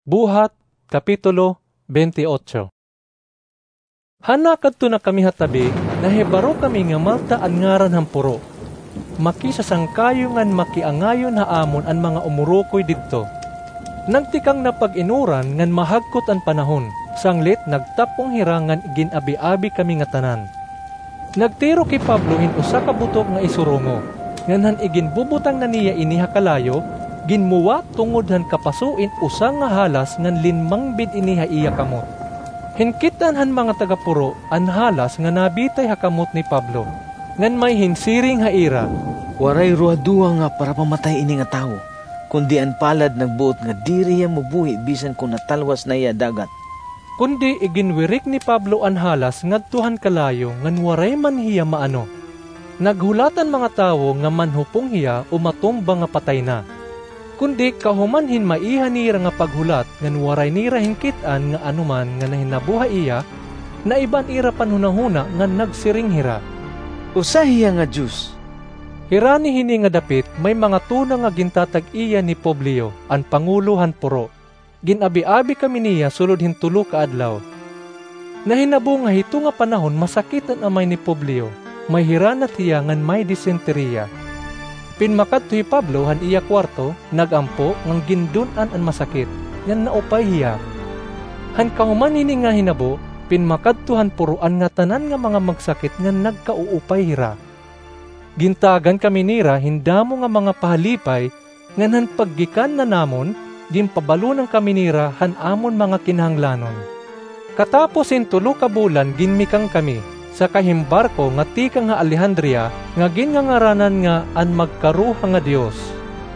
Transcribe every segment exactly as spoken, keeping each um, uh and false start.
Buhat, Kapitulo twenty-eight. Han nakadto na kami ha tabi, nahibaro kami nga Malta an ngaran han puro. Makisasangkayo ngan makiangayon ha amon an mga umurukoy didto. Nagtikang na pag-inuran ngan mahagkot an panahon, sanglit nagtapong hira ngan gin-abi-abi kami ngatanan. Nagtirok hi Pablo hin usa ka butok nga isurongo, ngan han iginbubutang na niya ini ha kalayo, ginmuwa tungod han kapaso in usa nga halas ngan linmangbid ini ha iya kamot. Hinkit-an han mga taga-puro an halas nga nabitay ha kamot ni Pablo, ngan may hinsiring ha ira, "Waray ruhadoha nga parapamatay ini nga tawo, kundi an palad nagbuot nga diri hiya mabuhi bisan kon natalwas na hiya ha dagat." Kundi iginwirik ni Pablo an halas ngadto han kalayo ngan waray man hiya maano. Naghulat an mga tawo nga manhupong hiya o matumba nga patay na. Kundi kahuman hin maiha nira nga paghulat ngan waray nira hinkit-an nga anoman nga nahinabo ha iya, naiba an ira panhunahuna ngan nagsiring hira, "Usa hiya nga dios." Hirani hini nga dapit may mga tuna nga gintatag-iya ni Publio, an pangulo han puro. Gin-abi-abi kami niya sulod hin tulo ka adlaw. Nahinabo nga hito nga panahon masakit an amay ni Publio, may hiranat hiya ngan may disenteriya. Pinmakadto hi Pablo han iya kuwarto, nag-ampo ngan gindun-an an masakit, ngan naupay hiya. Han kahuman hini nga hinabo, pinmakadto han puro an ngatanan nga mga magsakit ngan nagkauupay hira. Gintagan kami nira hin damo nga mga pahalipay, ngan han paggikan na namon, ginpabalonan kami nira han amon mga kinahanglanon. Katapos hin tulo ka bulan ginmikang kami, sakay hin barko nga tikang ha Alejandria nga gingangaranan nga an Magkaruha nga Dios,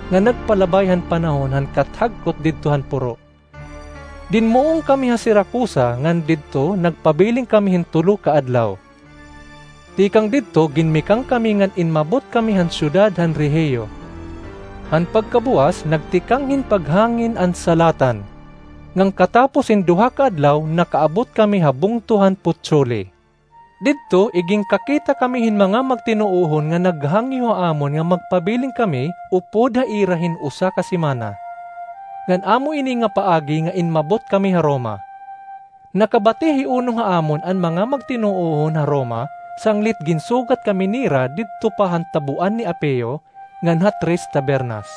nga nagpalabay han panahon han kathagkot didto han puro. Dinmuong kami ha Siracusa ngan didto nagpabilin kami hin tulo ka adlaw. Tikang didto ginmikang kami ngan inmabot kami han syudad han Regio. Han pagkabuas nagtikang hin paghangin an salatan. Ngan katapos hin duha ka adlaw nakaabot kami ha bungto han Puteoli. Didto iginkakita kami hin mga magtinuohon nga naghangyo ha amon nga magpabilin kami upod ha ira hin usa ka semana. Ngan amo ini nga paagi nga inmabot kami ha Roma. Nakabati hi uno ha amon an mga magtinuohon ha Roma, sanglit ginsugat kami nira didto pa han tabuan ni Apio, ngan ha Tres Tabernas.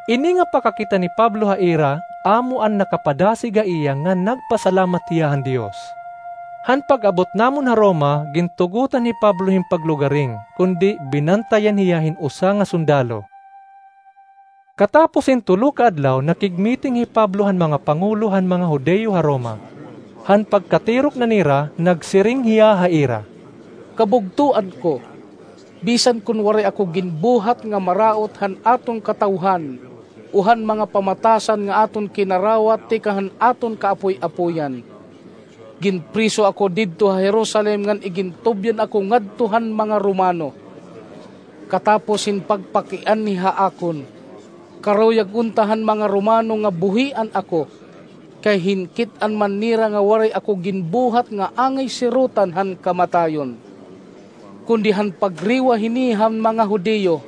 Ini nga pakakita ni Pablo ha ira, amo an nakapadasig ha iya nga nagpasalamat hiya han Dios. Han pag-abot namon ha Roma, gintugotan hi Pablo hin paglugaring, kundi binantayan hiya hin usa nga sundalo. Katapos hin tulo ka adlaw, nakigmiting hi Pablo han mga pangulo han mga Judio ha Roma. Han pagkatirok na nira, nagsiring hiya ha ira, "Kabugtoan ko, bisan kon waray ako ginbuhat nga maraot han aton katawhan o han mga pamatasan nga aton kinarawat tikang han aton kaapoy-apoyan. Ginpriso ako didto ha Jerusalem ngan igintubyan ako ngadto han mga Romano. Katapos hin pagpakianhi ha akon, karuyag unta han mga Romano nga buhian ako, kay hinkit-an man nira nga waray ako ginbuhat nga angay sirotan han kamatayon. Kundi han pagriwa hini han mga Judio,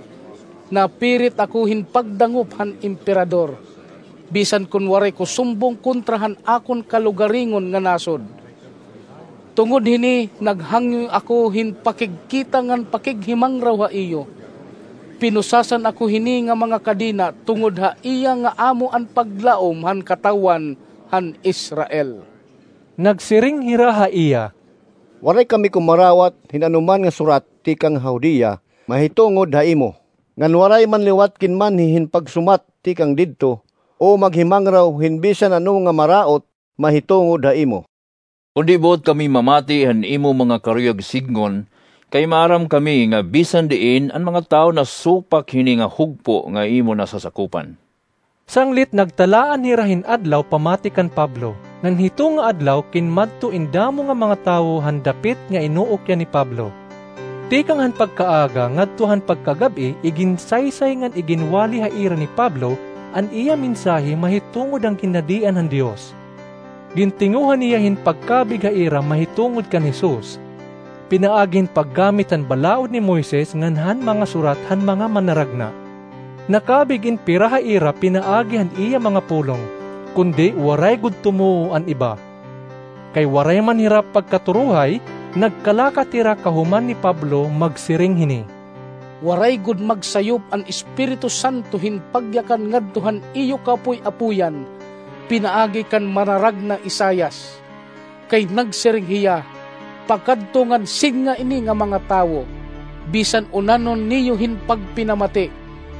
napirit ako hin pagdangop han Emperador, bisan kon waray ko sumbong kontra han akon kalugaringon nga nasod. Tungod hini, naghangyo ako hin pakigkita ngan pakighimangraw ha iyo. Pinusasan ako hini nga mga kadena tungod ha iya nga amo an paglaom han katawhan han Israel." Nagsiring hira ha iya, "Waray kami kumarawat hin anoman nga surat tikang ha Judea mahitungod ha imo, ngan waray man liwat kinmanhi hin pagsumat tikang didto o maghimangraw hin bisan ano nga maraot mahitungod ha imo. Kundi buot kami mamati han imo mga karuyag sidngon, kay maaram kami nga bisan diin an mga tawo nasupak hini nga hugpo nga imo nasasakupan." Sanglit nagtalaan hira hin adlaw pamati kan Pablo, ngan hito nga adlaw kinmadto in damo nga mga tawo han dapit nga inuukyan ni Pablo. Tikang han pagkaaga ngadto han pagkagab-i, iginsaysay ngan iginwali ha ira ni Pablo an iya mensahe mahitungod han Ginhadian han Dios. Gintinguha niya hin pagkabig ha ira mahitungod kan Jesus, pinaagi hin paggamit han Balaod ni Moises ngan han mga surat han mga manaragna. Nakabig in pira ha ira pinaagi han iya mga pulong, kundi waray gud tumuo an iba. Kay waray man hira pagkaturuhay, nagkalakat hira kahuman ni Pablo, magsiring hini, "Waray gud magsayop an Espiritu Santo hin pagyakan ngadto han iyo kaapoy-apoyan pinaagi kan manaragna Isaias. Kay nagsiring hiya, 'Pakadto ngan sidnga ini nga mga tawo, bisan unahon niyo hin pagpinamati,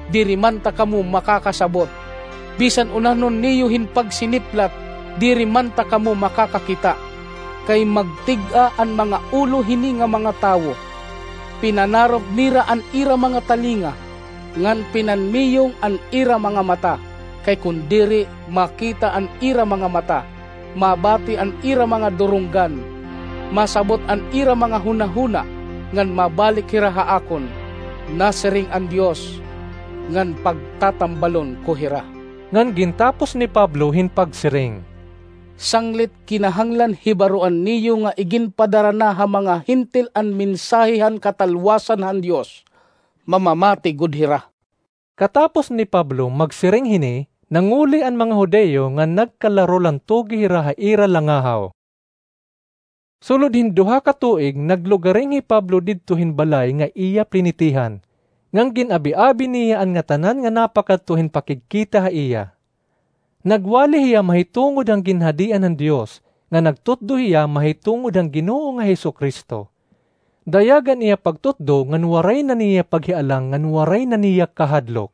diri man ta kamo makakasabot. Bisan unahon niyo hin pagsiniplat, diri man ta kamo makakakita. Kay magtig-a an mga ulo hini nga mga tawo. Pinanarok nira an ira mga talinga, ngan pinanmiyong an ira mga mata, kay kon diri, makita an ira mga mata, mabati an ira mga durunggan, masabot an ira mga hunahuna, ngan mabalik hira ha akon, nasiring an Dios, ngan pagtatambalon ko hira.'" Ngan gintapos ni Pablo hin pagsiring, "Sanglit kinahanglan hibaroan niyo nga iginpadara na ha mga Hentil an mensahe han katalwasan han Dios, mamamati gud hira." Katapos ni Pablo magsiring hini, nanguli an mga Judio ngan nagkalarulantugi hira ha ira langahaw. Sulod hin duha ka tuig, naglugaring hi Pablo didto hin balay nga iya plinitihan, ngan gin-abi-abi niya an ngatanan nga napakadto hin pakigkita ha iya. Nagwali hiya mahitungod han ginhadian han Dios, ngan nagtutdo hiya mahitungod han Ginoo nga Jesu-Cristo. Dayag an iya pagtutdo ngan waray na niya paghialang ngan waray na niya kahadlok.